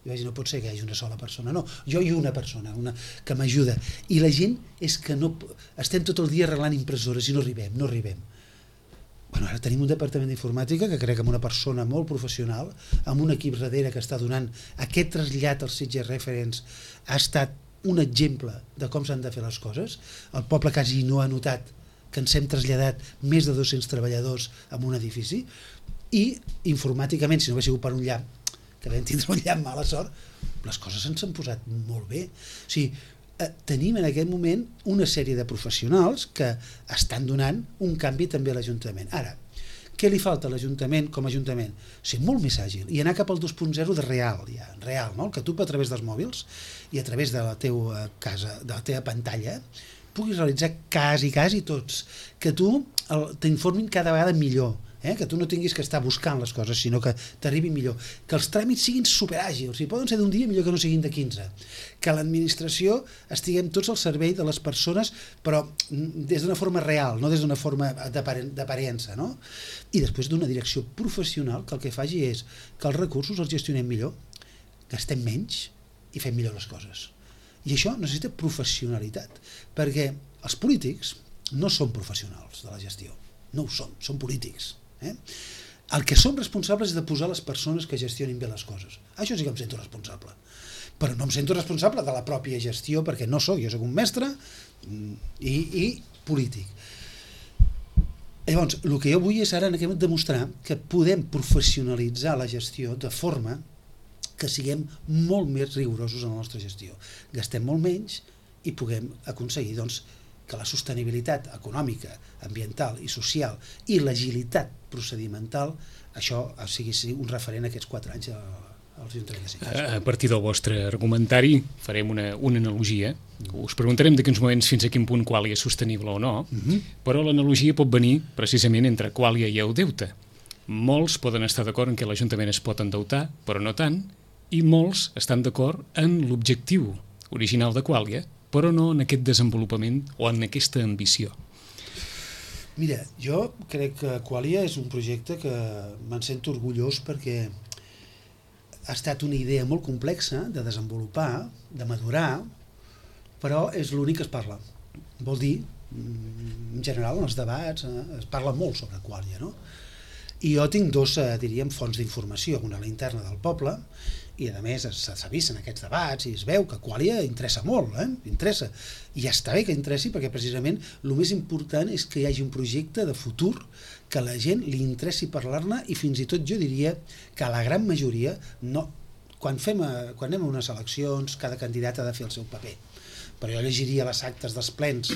Jo vaig dir no pot ser que hi hagi una sola persona, no, jo i una persona una, que m'ajuda, i la gent és que no, estem tot el dia arreglant impressores i no arribem, no arribem. Bueno, ara tenim un departament d'informàtica que crec que amb una persona molt professional, amb un equip darrere que està donant aquest trasllat als Sitges Referents, ha estat un exemple de com s'han de fer les coses. El poble quasi no ha notat que ens hem traslladat més de dos-cents treballadors en un edifici i informàticament, si no hagués sigut per un llamp, que vam tindre un llamp mala sort, les coses ens han posat molt bé. O sigui, eh, tenim en aquest moment una sèrie de professionals que estan donant un canvi també a l'Ajuntament. Ara, què li falta a l'Ajuntament com a Ajuntament? Ser molt més àgil i anar cap al dos punt zero de real, ja, real, no? Que tu a través dels mòbils i a través de la teva casa, de la teva pantalla, puguis realitzar quasi, quasi tots, que tu t'informin cada vegada millor, eh? Que tu no tinguis que estar buscant les coses, sinó que t'arribin millor, que els tràmits siguin superàgils, i poden ser d'un dia millor que no siguin de quinze, que l'administració estiguem tots al servei de les persones, però des d'una forma real, no des d'una forma d'aparença, no? I després d'una direcció professional que el que faci és que els recursos els gestionem millor, gastem menys i fem millor les coses. I això necessita professionalitat, perquè els polítics no són professionals de la gestió, no ho són, són polítics. Eh? El que som responsables és de posar les persones que gestionin bé les coses. Això sí que em sento responsable. Però no em sento responsable de la pròpia gestió perquè no sóc, jo sóc un mestre i, i polític. Llavors, el que jo vull és ara en aquest moment demostrar que podem professionalitzar la gestió de forma que siguem molt més rigorosos en la nostra gestió. Gastem molt menys i puguem aconseguir doncs, que la sostenibilitat econòmica, ambiental i social i l'agilitat procedimental, això sigui un referent aquests quatre anys als Ajuntament de Sitges. A partir del vostre argumentari farem una, una analogia. Us preguntarem d'aquí uns moments fins a quin punt Quàlia és sostenible o no, uh-huh. Però l'analogia pot venir precisament entre Quàlia i el deute. Molts poden estar d'acord en què l'Ajuntament es pot endeutar, però no tant, i molts estan d'acord en l'objectiu original de Quàlia, però no en aquest desenvolupament o en aquesta ambició. Mira, jo crec que Quàlia és un projecte que me'n sento orgullós perquè ha estat una idea molt complexa de desenvolupar, de madurar, però és l'únic que es parla. Vol dir, en general, en els debats es parla molt sobre Quàlia, no? I jo tinc dos, eh, diríem, fonts d'informació, una a la interna del poble, i a més s'ha vist en aquests debats i es veu que Qualia interessa molt, eh? interessa, i ja està bé que interessi perquè precisament el més important és que hi hagi un projecte de futur que a la gent li interessi parlar-ne, i fins i tot jo diria que a la gran majoria no, quan, fem a, quan anem a unes eleccions cada candidat ha de fer el seu paper, però jo llegiria les actes dels plens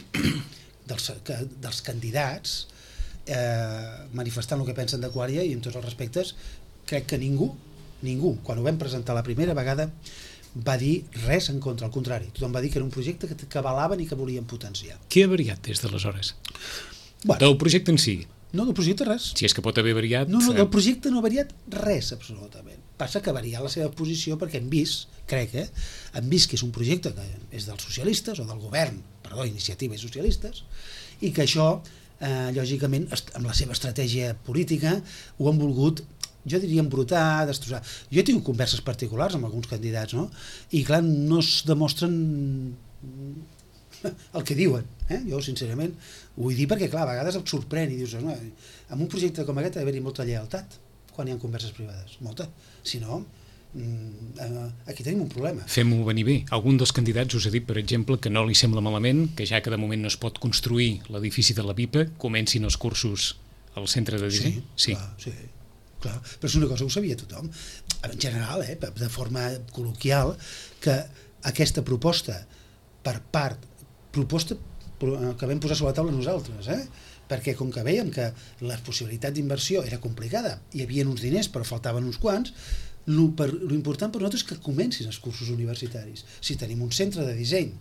dels, que, dels candidats eh, manifestant el que pensen de Qualia, i amb tots els respectes crec que ningú Ningú, quan ho vam presentar la primera vegada, va dir res en contra, al contrari. Tothom va dir que era un projecte que, que avalaven i que volien potenciar. Què ha variat des d'aleshores? Bueno, del projecte en si? No, del projecte res. Si és que pot haver variat... No, no, del projecte no ha variat res, absolutament. Passa que ha variat la seva posició perquè hem vist, crec, eh, hem vist que és un projecte que és dels socialistes, o del govern, perdó, Iniciativa i Socialistes, i que això, eh, lògicament, amb la seva estratègia política, ho han volgut, jo diria embrutar, destrossar. Jo he tingut converses particulars amb alguns candidats, no? I clar, no es demostren el que diuen, eh? Jo sincerament ho vull dir perquè clar, a vegades et sorprèn i dius, no, en un projecte com aquest ha d'haver-hi molta lleialtat quan hi ha converses privades, molta, si no aquí tenim un problema. Fem-ho venir bé. Algun dels candidats us ha dit, per exemple, que no li sembla malament que ja que de moment no es pot construir l'edifici de la BIPA, comencin els cursos al centre de disseny? Sí, sí. Clar, sí. Clar, però és una cosa que ho sabia tothom en general, eh, de forma col·loquial, que aquesta proposta per part proposta que vam posar sobre la taula nosaltres, eh? Perquè com que veiem que la possibilitat d'inversió era complicada, hi havia uns diners però faltaven uns quants, l'important per nosaltres és que comencin els cursos universitaris. Si tenim un centre de disseny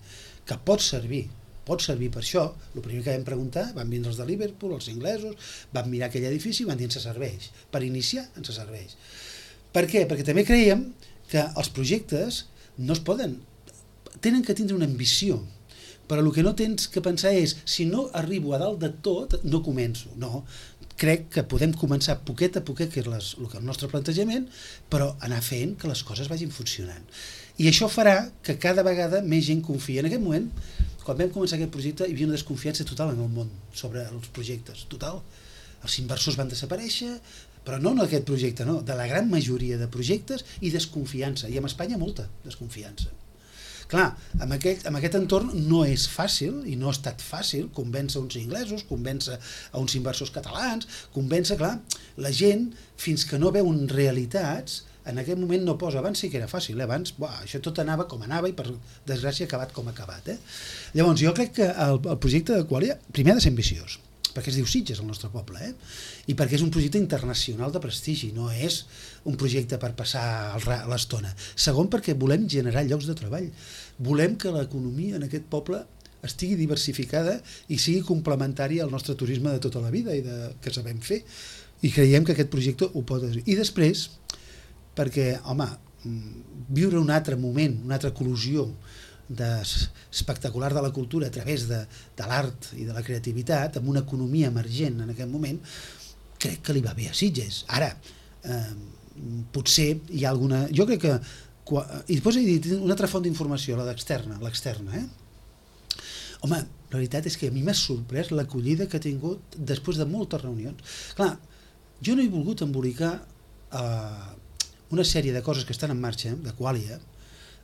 que pot servir pot servir per això, el primer que vam preguntar, van vindre els de Liverpool, els inglesos, van mirar aquell edifici i van dir ens serveix. Per iniciar ens serveix. Per què? Perquè també creiem que els projectes no es poden, tenen que tindre una ambició, però el que no tens que pensar és si no arribo a dalt de tot, no començo. No, crec que podem començar poquet a poquet, que és les, el, que el nostre plantejament, però anar fent que les coses vagin funcionant. I això farà que cada vegada més gent confia. En aquest moment, quan vam començar aquest projecte, hi havia una desconfiança total en el món sobre els projectes, total. Els inversors van desaparèixer, però no en aquest projecte, no, de la gran majoria de projectes, i desconfiança, i en Espanya molta desconfiança. Clar, amb aquest, amb aquest entorn no és fàcil, i no ha estat fàcil, convèncer uns inglesos, convèncer a uns inversors catalans, convèncer, clar, la gent, fins que no veuen realitats, en aquest moment no posa. Abans sí que era fàcil, eh? Abans buah, això tot anava com anava i per desgràcia ha acabat com ha acabat. Eh? Llavors jo crec que el, el projecte de Qualia primer ha de ser ambiciós, perquè es diu Sitges al nostre poble, eh? I perquè és un projecte internacional de prestigi, no és un projecte per passar l'estona. Segon, perquè volem generar llocs de treball, volem que l'economia en aquest poble estigui diversificada i sigui complementària al nostre turisme de tota la vida i de, que sabem fer, i creiem que aquest projecte ho pot fer. I després, perquè, home, viure un altre moment, una altra eclosió espectacular de la cultura a través de, de l'art i de la creativitat, amb una economia emergent en aquest moment, crec que li va bé a Sitges. Ara, eh, potser hi ha alguna... Jo crec que... I després he dit una altra font d'informació, la d'externa, l'externa, eh? Home, la veritat és que a mi m'ha sorprès l'acollida que ha tingut després de moltes reunions. Clar, jo no he volgut embolicar eh, una sèrie de coses que estan en marxa, de Qualia,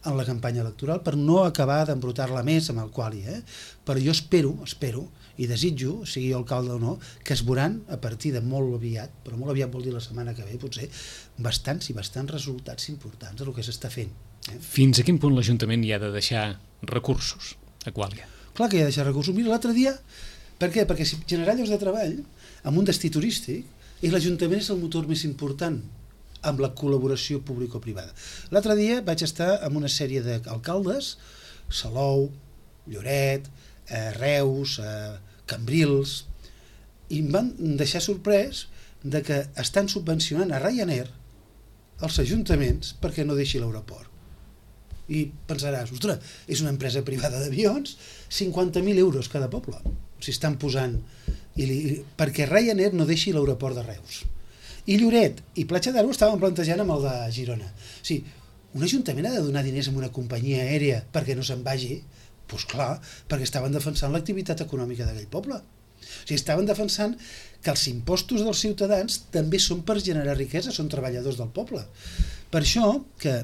en la campanya electoral, per no acabar d'embrutar-la més amb el Qualia, eh? Però jo espero, espero, i desitjo, sigui alcalde o no, que es veuran a partir de molt aviat, però molt aviat vol dir la setmana que ve, potser, bastants i bastants resultats importants del que s'està fent. Eh? Fins a quin punt l'Ajuntament hi ha de deixar recursos a Qualia? Clar que hi ha de deixar recursos. Mira, l'altre dia, per què? Perquè si generar llocs de treball amb un destí turístic, i l'Ajuntament és el motor més important amb la col·laboració público-privada. L'altre dia vaig estar amb una sèrie d'alcaldes, Salou, Lloret, eh, Reus, eh, Cambrils, i em van deixar sorprès de que estan subvencionant a Ryanair els ajuntaments perquè no deixi l'aeroport. I pensaràs, ostres, és una empresa privada d'avions, cinquanta mil euros cada poble, si estan posant, i li, perquè Ryanair no deixi l'aeroport de Reus. I Lloret i Platja d'Aro estaven plantejant amb el de Girona. O sigui, un ajuntament ha de donar diners a una companyia aèria perquè no se'n vagi? Doncs clar, perquè estaven defensant l'activitat econòmica d'aquell poble. O sigui, estaven defensant que els impostos dels ciutadans també són per generar riquesa, són treballadors del poble. Per això que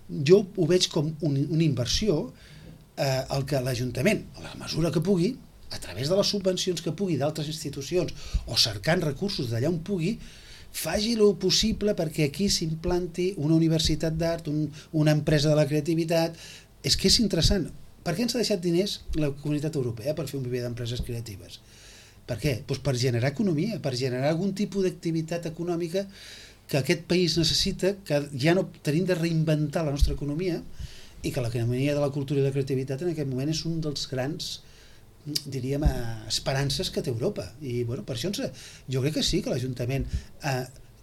jo ho veig com un, una inversió eh, el que l'Ajuntament, a la mesura que pugui, a través de les subvencions que pugui d'altres institucions o cercant recursos d'allà on pugui, faci el possible perquè aquí s'implanti una universitat d'art, un, una empresa de la creativitat. És que és interessant. Per què ens ha deixat diners la Comunitat Europea per fer un viver d'empreses creatives? Per què? Doncs per generar economia, per generar algun tipus d'activitat econòmica que aquest país necessita, que ja no tenim de reinventar la nostra economia i que l'economia de la cultura i la creativitat en aquest moment és un dels grans, diríem, esperances que té Europa. I bueno, per això ens, jo crec que sí, que l'Ajuntament, eh,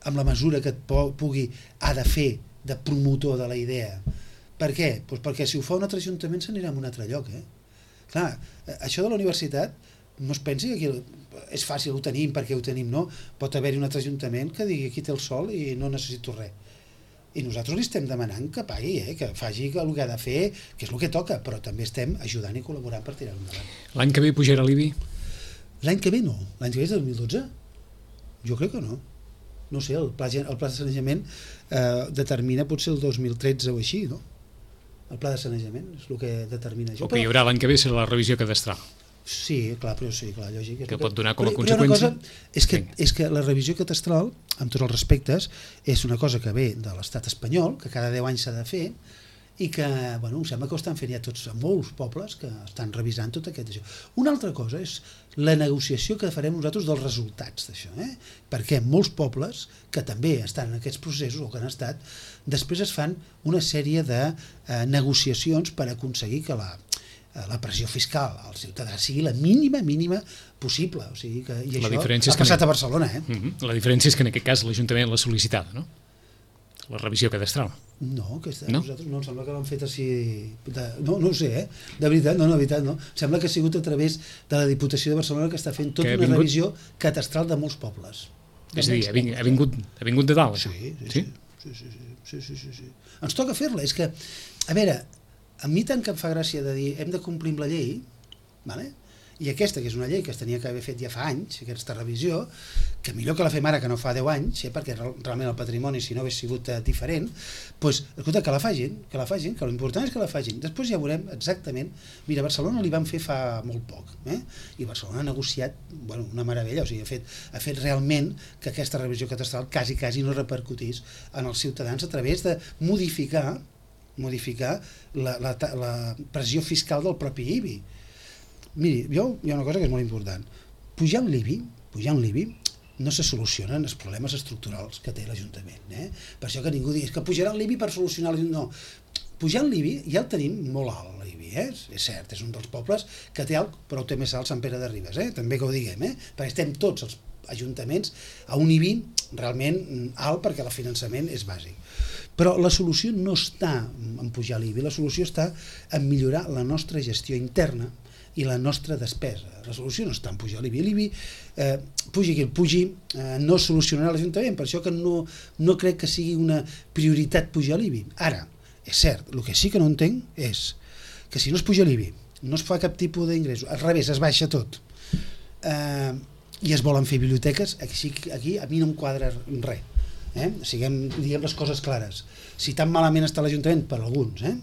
amb la mesura que pugui, ha de fer de promotor de la idea. Per què? Pues perquè si ho fa un altre ajuntament s'anirà a un altre lloc. Eh? Clar, això de la universitat, no es pensi que aquí és fàcil, ho tenim perquè ho tenim, no? Pot haver-hi un altre ajuntament que digui aquí té el sol i no necessito res. I nosaltres li estem demanant que pagui, eh? Que faci el que ha de fer, que és el que toca, però també estem ajudant i col·laborant per tirar-ho endavant. L'any que ve pujarà l'I B I? L'any que ve no. L'any que ve és el dos mil dotze? Jo crec que no. No sé, el pla, el pla de sanejament eh, determina potser el dos mil tretze o així, no? El pla de sanejament és el que determina això. O que hi haurà l'any que ve serà la revisió cadastral. Sí, clar, però sí, clar, lògic. Que pot donar com a però, conseqüència... Però una cosa és que, és que la revisió cadastral, amb tots els respectes, és una cosa que ve de l'estat espanyol, que cada deu anys s'ha de fer, i que, bueno, em sembla que ho estan fent ja tots, molts pobles que estan revisant tot aquest això. Una altra cosa és la negociació que farem nosaltres dels resultats d'això, eh? Perquè molts pobles que també estan en aquests processos o que han estat, després es fan una sèrie de eh, negociacions per aconseguir que la, eh, la pressió fiscal al ciutadà sigui la mínima, mínima possible. O sigui que, i la això ha passat a Barcelona. Eh? Uh-huh. La diferència és que en aquest cas l'Ajuntament l'ha sol·licitada, no? La revisió cadastral. No, aquesta, no? Nosaltres no, em sembla que l'han fet així... De, no, no ho sé, eh? De veritat, no, no, de veritat, no. Sembla que ha sigut a través de la Diputació de Barcelona que està fent tota una vingut... revisió cadastral de molts pobles. De és a dir, ha vingut, ha, vingut, ha vingut de dalt, això? Sí, sí, sí. Sí, sí, sí, sí, sí, sí, sí. Ens toca fer-la, és que, a veure, a mi tant que em fa gràcia de dir hem de complir amb la llei, vale? I aquesta, que és una llei que es tenia que haver fet ja fa anys, aquesta revisió, que millor que la fem ara que no fa deu anys, eh, perquè realment el patrimoni, si no hagués sigut eh, diferent, doncs, escolta, que la facin, que la facin, que l'important és que la facin. Després ja veurem exactament... Mira, a Barcelona li van fer fa molt poc, eh? I Barcelona ha negociat, bueno, una meravella, o sigui, ha fet, ha fet realment que aquesta revisió catastral quasi, quasi no repercutís en els ciutadans a través de modificar, modificar la, la, la pressió fiscal del propi I B I. Miri, jo, hi ha una cosa que és molt important. Pujant l'I B I, pujant l'I B I, no se solucionen els problemes estructurals que té l'Ajuntament. Eh? Per això que ningú digui que pujarà l'I B I per solucionar l'Ajuntament. No, pujant l'I B I ja el tenim molt alt, l'I B I, eh? És cert, és un dels pobles que té alt, però ho té més alt Sant Pere de Ribes, eh? També que ho diguem, eh? Perquè estem tots els ajuntaments a un I B I realment alt perquè el finançament és bàsic. Però la solució no està en pujar l'I B I, la solució està en millorar la nostra gestió interna i la nostra despesa. La solució no està en pujar l'I B I. L'I B I, eh, pugi qui el pugi, eh, no solucionarà l'Ajuntament, per això que no, no crec que sigui una prioritat pujar l'I B I. Ara, és cert, el que sí que no entenc és que si no es puja l'I B I, no es fa cap tipus d'ingressos, al revés, es baixa tot, eh, i es volen fer biblioteques, aquí, aquí a mi no em quadra res. Eh? Siguem, diguem les coses clares. Si tan malament està l'Ajuntament, per alguns, eh?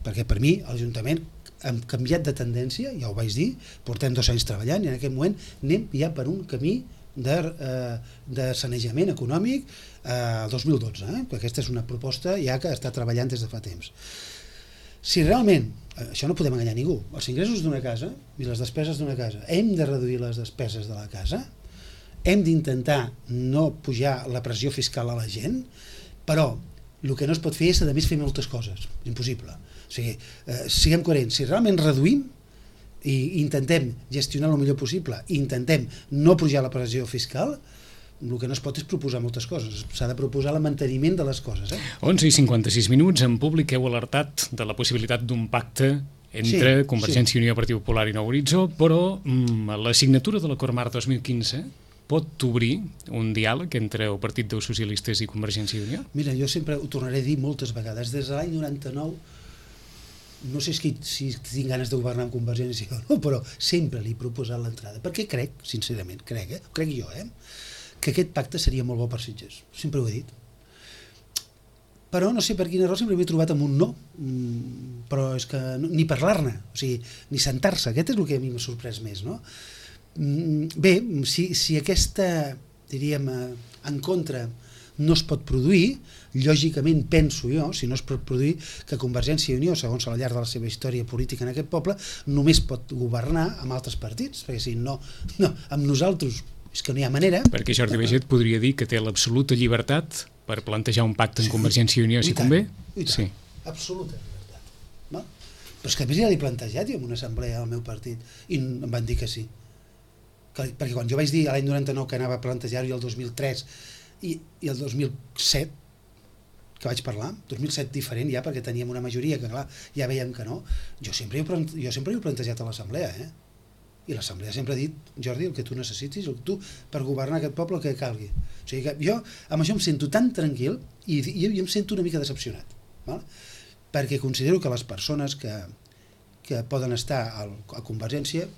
Perquè per mi l'Ajuntament hem canviat de tendència, ja ho vaig dir, portem dos anys treballant i en aquest moment anem ja per un camí de, eh, de sanejament econòmic el eh, dos mil dotze, eh? Perquè aquesta és una proposta ja que està treballant des de fa temps. Si realment, això no podem enganyar ningú, els ingressos d'una casa i les despeses d'una casa, hem de reduir les despeses de la casa, hem d'intentar no pujar la pressió fiscal a la gent, però el que no es pot fer és a més fer moltes coses, impossible. O sigui, eh, siguem coherents, si realment reduïm i intentem gestionar el millor possible i intentem no pujar la pressió fiscal, el que no es pot és proposar moltes coses, s'ha de proposar el manteniment de les coses. Eh? onze i cinquanta-sis minuts, en públic heu alertat de la possibilitat d'un pacte entre sí, Convergència i sí. Unió, Partit Popular i Nou Horitzó, però mm, la signatura de l'Acord Marc dos mil quinze pot obrir un diàleg entre el Partit dels Socialistes i Convergència i Unió? Mira, jo sempre ho tornaré a dir moltes vegades, des de l'any noranta-nou no sé si, si tinc ganes de governar amb Convergència o no, però sempre li he proposat l'entrada, perquè crec, sincerament, crec, eh? crec jo, eh? que aquest pacte seria molt bo per Sitges, sempre ho he dit. Però no sé per quina raó sempre m'he trobat amb un no, però és que no, ni parlar-ne, o sigui, ni sentar-se, aquest és el que a mi m'ha sorprès més, no? Bé, si, si aquesta, diríem, en contra no es pot produir, lògicament penso jo, si no es pot produir, que Convergència i Unió, segons al llarg de la seva història política en aquest poble, només pot governar amb altres partits, perquè si no, no amb nosaltres és que no hi ha manera. Perquè Jordi Baiget podria dir que té l'absoluta llibertat per plantejar un pacte amb Convergència i Unió, si convé? Sí, absoluta llibertat. No? Però és que a més ja l'he plantejat jo en una assemblea del meu partit i em van dir que sí. Que, perquè quan jo vaig dir l'any noranta-nou que anava a plantejar-ho i el dos mil tres i, i el dos mil set que vaig parlar, dos mil set diferent ja perquè teníem una majoria que clar, ja veiem que no, jo sempre he, jo sempre he plantejat a l'assemblea, eh? I l'assemblea sempre ha dit, Jordi, el que tu necessitis, el que tu per governar aquest poble el que calgui. O sigui que jo amb això em sento tan tranquil i, i, i em sento una mica decepcionat, val? Perquè considero que les persones que, que poden estar al, a Convergència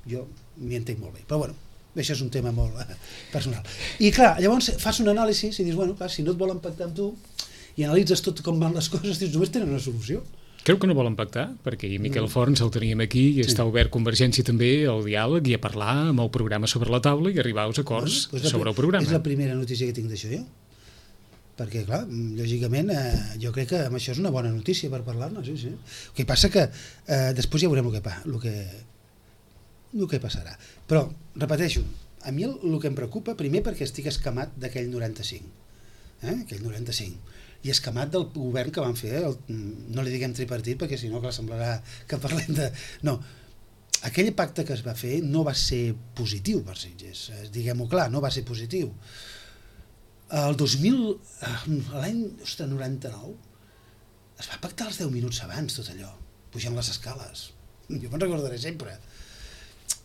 jo m'hi entenc molt bé, però bueno, això és un tema molt eh, personal. I clar, llavors fas un anàlisi i dius, bueno, clar, si no et volen pactar amb tu i analitzes tot com van les coses, dius, només tenen una solució. Creu que no volen pactar? Perquè Miquel Forns el teníem aquí i sí. Està obert Convergència també al diàleg i a parlar amb el programa sobre la taula i arribar als acords bueno, doncs sobre el programa. És la primera notícia que tinc d'això jo. Perquè, clar, lògicament, eh, jo crec que amb això és una bona notícia per parlar-ne, sí, sí. El que passa que eh, després ja veurem el que, pa, el que, el que passarà. Però, repeteixo, a mi el, el que em preocupa, primer perquè estic escamat d'aquell noranta-cinc, eh? aquell noranta-cinc, i escamat del govern que van fer, el, no li diguem tripartit perquè si no que semblarà que parlem de... No, aquell pacte que es va fer no va ser positiu per Sitges, diguem-ho clar, no va ser positiu. El dos mil, l'any noranta-nou, es va pactar els deu minuts abans tot allò, pujant les escales, jo me'n recordaré sempre.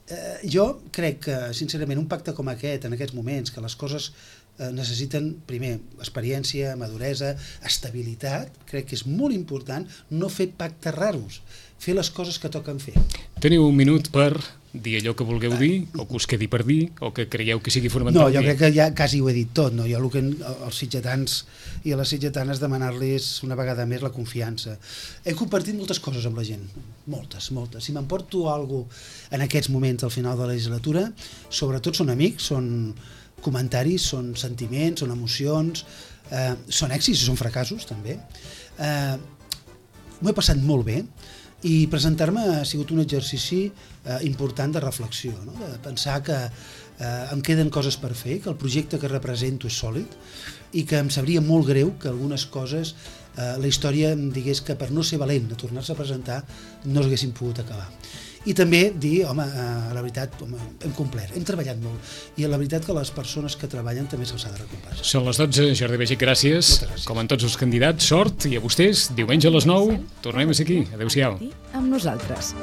Eh, jo crec que, sincerament, un pacte com aquest, en aquests moments, que les coses necessiten, primer, experiència, maduresa, estabilitat, crec que és molt important no fer pactes raros, fer les coses que toquen fer. Teniu un minut per dir allò que vulgueu dir, o que us quedi per dir, o que creieu que sigui fonamental. No, jo crec que ja quasi ho he dit tot, no? Jo el que als sitgetans i a les sitgetanes demanar-los una vegada més la confiança. He compartit moltes coses amb la gent, moltes, moltes. Si m'emporto alguna cosa en aquests moments al final de la legislatura, sobretot són amics, són comentaris, són sentiments, són emocions, eh, són èxits i són fracassos també. Eh, m'ho he passat molt bé i presentar-me ha sigut un exercici eh, important de reflexió, no? De pensar que eh, em queden coses per fer, que el projecte que represento és sòlid i que em sabria molt greu que algunes coses eh, la història em digués que per no ser valent de tornar-se a presentar no s'haguessin pogut acabar. I també dir, home, eh, la veritat, home, hem complert, hem treballat molt i la veritat que les persones que treballen també se'ls ha de recompensar. Són les dotze, Jordi Baiget, gràcies. gràcies. Com en tots els candidats, sort i a vostès, diumenge a les nou, tornem a ser aquí. Adéu-siau. Amb nosaltres.